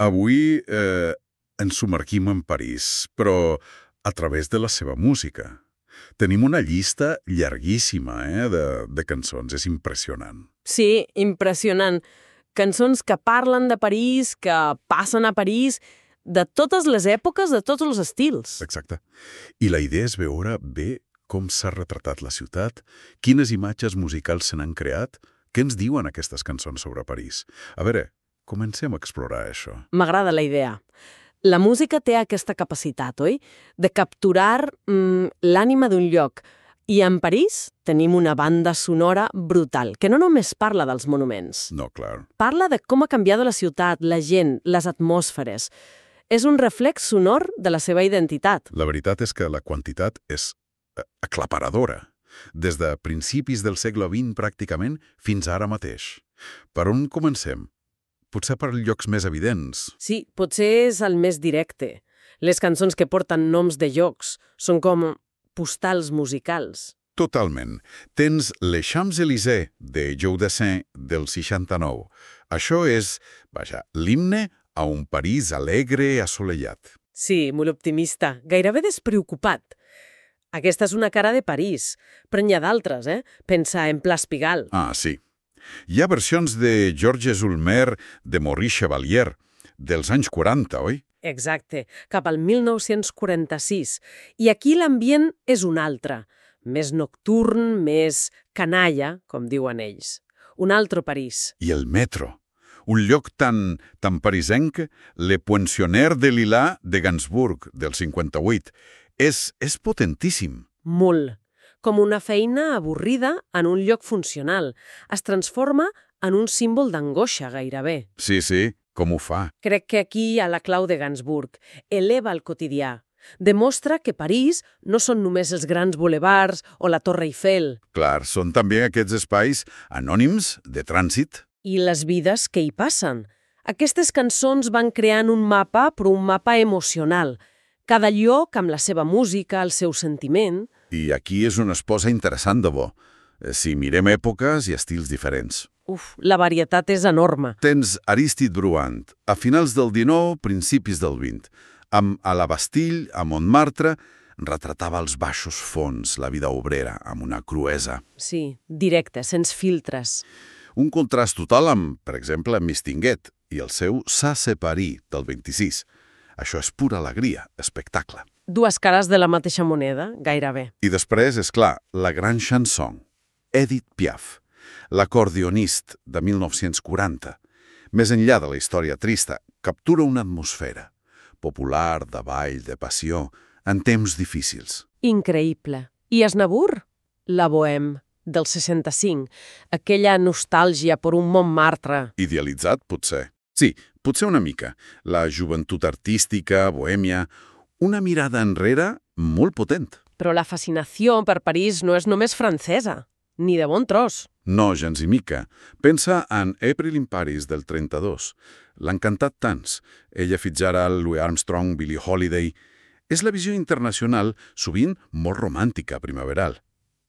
Avui ens submergim en París, però a través de la seva música. Tenim una llista llarguíssima de cançons, és impressionant. Sí, impressionant. Cançons que parlen de París, que passen a París, de totes les èpoques, de tots els estils. Exacte. I la idea és veure bé com s'ha retratat la ciutat, quines imatges musicals se n'han creat, què ens diuen aquestes cançons sobre París. A veure, comencem a explorar això. M'agrada la idea. La música té aquesta capacitat, oi? De capturar l'ànima d'un lloc. I en París tenim una banda sonora brutal, que no només parla dels monuments. No, clar. Parla de com ha canviat la ciutat, la gent, les atmosferes. És un reflex sonor de la seva identitat. La veritat és que la quantitat és aclaparadora. Des de principis del segle XX pràcticament fins ara mateix. Per on comencem? Potser per llocs més evidents. Sí, potser és el més directe. Les cançons que porten noms de llocs són com postals musicals. Totalment. Tens Les Champs-Élysées de Joe Dassin del 69. Això és, vaja, l'himne a un París alegre, assolellat. Sí, molt optimista, gairebé despreocupat. Aquesta és una cara de París, però n'hi ha d'altres, Pensa en Place Pigalle. Ah, sí. Hi ha versions de Georges Ulmer, de Maurice Chevalier, dels anys 40, oi? Exacte, cap al 1946. I aquí l'ambient és un altre, més nocturn, més canalla, com diuen ells. Un altre París. I el metro. Un lloc tan parisenc, Le Poinçonnet de Lilas de Gainsbourg, del 58. És potentíssim. Molt. Com una feina avorrida en un lloc funcional. Es transforma en un símbol d'angoixa, gairebé. Sí, com ho fa? Crec que aquí hi ha la clau de Gainsbourg. Eleva el quotidià. Demostra que París no són només els grans bulevards o la Torre Eiffel. Clar, són també aquests espais anònims de trànsit. I les vides que hi passen. Aquestes cançons van creant un mapa, però un mapa emocional. Cada lloc amb la seva música, el seu sentiment. I aquí és una esposa interessant de bo. Si mirem èpoques i estils diferents. La varietat és enorme. Tens Aristide Bruant, a finals del XIX, principis del XX. A la Bastille, a Montmartre, retratava els baixos fons, la vida obrera, amb una cruesa. Sí, directe, sense filtres. Un contrast total amb, per exemple, Mistinguet i el seu Ça c'est Paris, del 26. Això és pura alegria, espectacle. Dues cares de la mateixa moneda, gairebé. I després, és clar, la gran chanson, Edith Piaf, l'acordionist de 1940. Més enllà de la història trista, captura una atmosfera popular, de ball, de passió, en temps difícils. Increïble. I Aznavour? La Bohème, del 65. Aquella nostàlgia per un Montmartre. Idealitzat, potser. Sí, potser una mica. La joventut artística, bohèmia, una mirada enrere molt potent. Però la fascinació per París no és només francesa, ni de bon tros. No, gens i mica. Pensa en April in Paris del 32. L'han cantat tants. Ella Fitzgerald, Louis Armstrong, Billie Holiday. És la visió internacional, sovint molt romàntica, primaveral.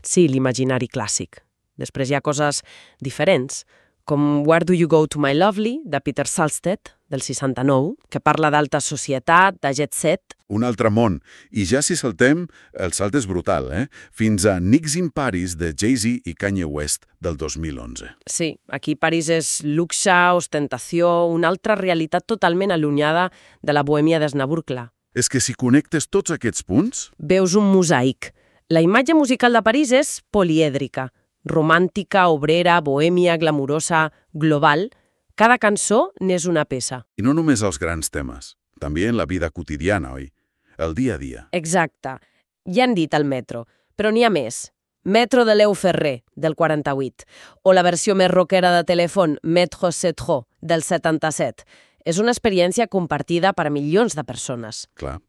Sí, l'imaginari clàssic. Després hi ha coses diferents, com Where Do You Go to My Lovely, de Peter Salstedt, del 69, que parla d'alta societat, de jet set. Un altre món. I ja si saltem, el salt és brutal, Fins a Nix in Paris, de Jay-Z i Kanye West, del 2011. Sí, aquí París és luxe, ostentació, una altra realitat totalment allunyada de la bohèmia d'Aznavour, clar. És que si connectes tots aquests punts... Veus un mosaic. La imatge musical de París és polièdrica. Romàntica, obrera, bohèmia, glamurosa, global. Cada cançó n'és una peça. I no només els grans temes, també en la vida quotidiana, oi? El dia a dia. Exacte. Ja han dit el metro, però n'hi ha més. Metro de Léo Ferré, del 48, o la versió més rockera de telèfon Métro 7, del 77. És una experiència compartida per a milions de persones. Clar.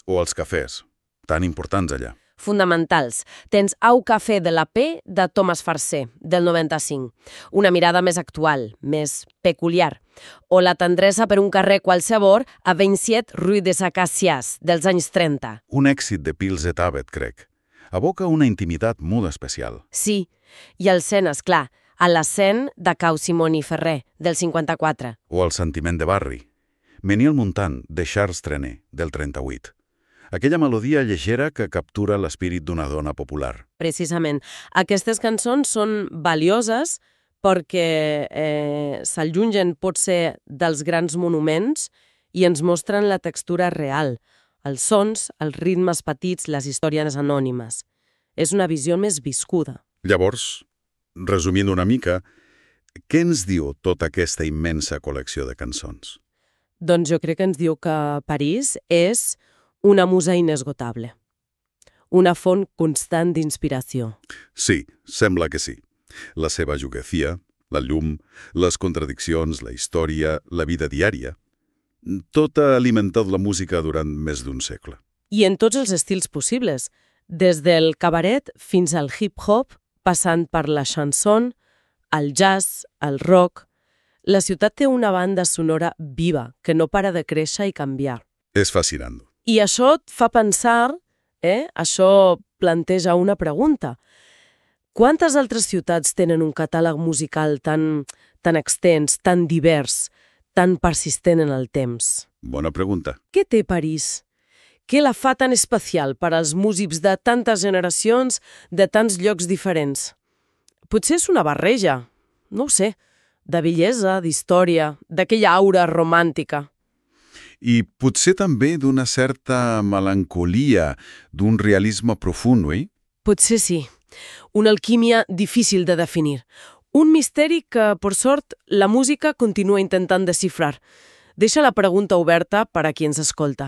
O els cafès, tan importants allà. Fonamentals. Tens Au Café de la P de Thomas Farcé, del 95. Una mirada més actual, més peculiar. O La tendresa per un carrer qualsevol a 27 Rue des Acacias, dels anys 30. Un èxit de Pils et Abet, crec. Evoca una intimitat molt especial. Sí, i el Sen, esclar, a la Sen de Cau Simón i Ferrer, del 54. O el sentiment de barri. Ménilmontant, de Charles Trenet, del 38. Aquella melodia llegera que captura l'espírit d'una dona popular. Precisament. Aquestes cançons són valioses perquè s'allungen potser dels grans monuments i ens mostren la textura real, els sons, els ritmes petits, les històries anònimes. És una visió més viscuda. Llavors, resumint una mica, què ens diu tota aquesta immensa col·lecció de cançons? Doncs jo crec que ens diu que París és una musa inesgotable, una font constant d'inspiració. Sí, sembla que sí. La seva geografia, la llum, les contradiccions, la història, la vida diària... Tot ha alimentat la música durant més d'un segle. I en tots els estils possibles, des del cabaret fins al hip-hop, passant per la chanson, el jazz, el rock... La ciutat té una banda sonora viva, que no para de créixer i canviar. És fascinant. I això et fa pensar, això planteja una pregunta. Quantes altres ciutats tenen un catàleg musical tan extens, tan divers, tan persistent en el temps? Bona pregunta. Què té París? Què la fa tan especial per als músics de tantes generacions, de tants llocs diferents? Potser és una barreja, no ho sé, de bellesa, d'història, d'aquella aura romàntica. I potser també d'una certa melancolia, d'un realisme profund, oi? Potser sí. Una alquímia difícil de definir. Un misteri que, per sort, la música continua intentant desxifrar. Deixa la pregunta oberta per a qui ens escolta.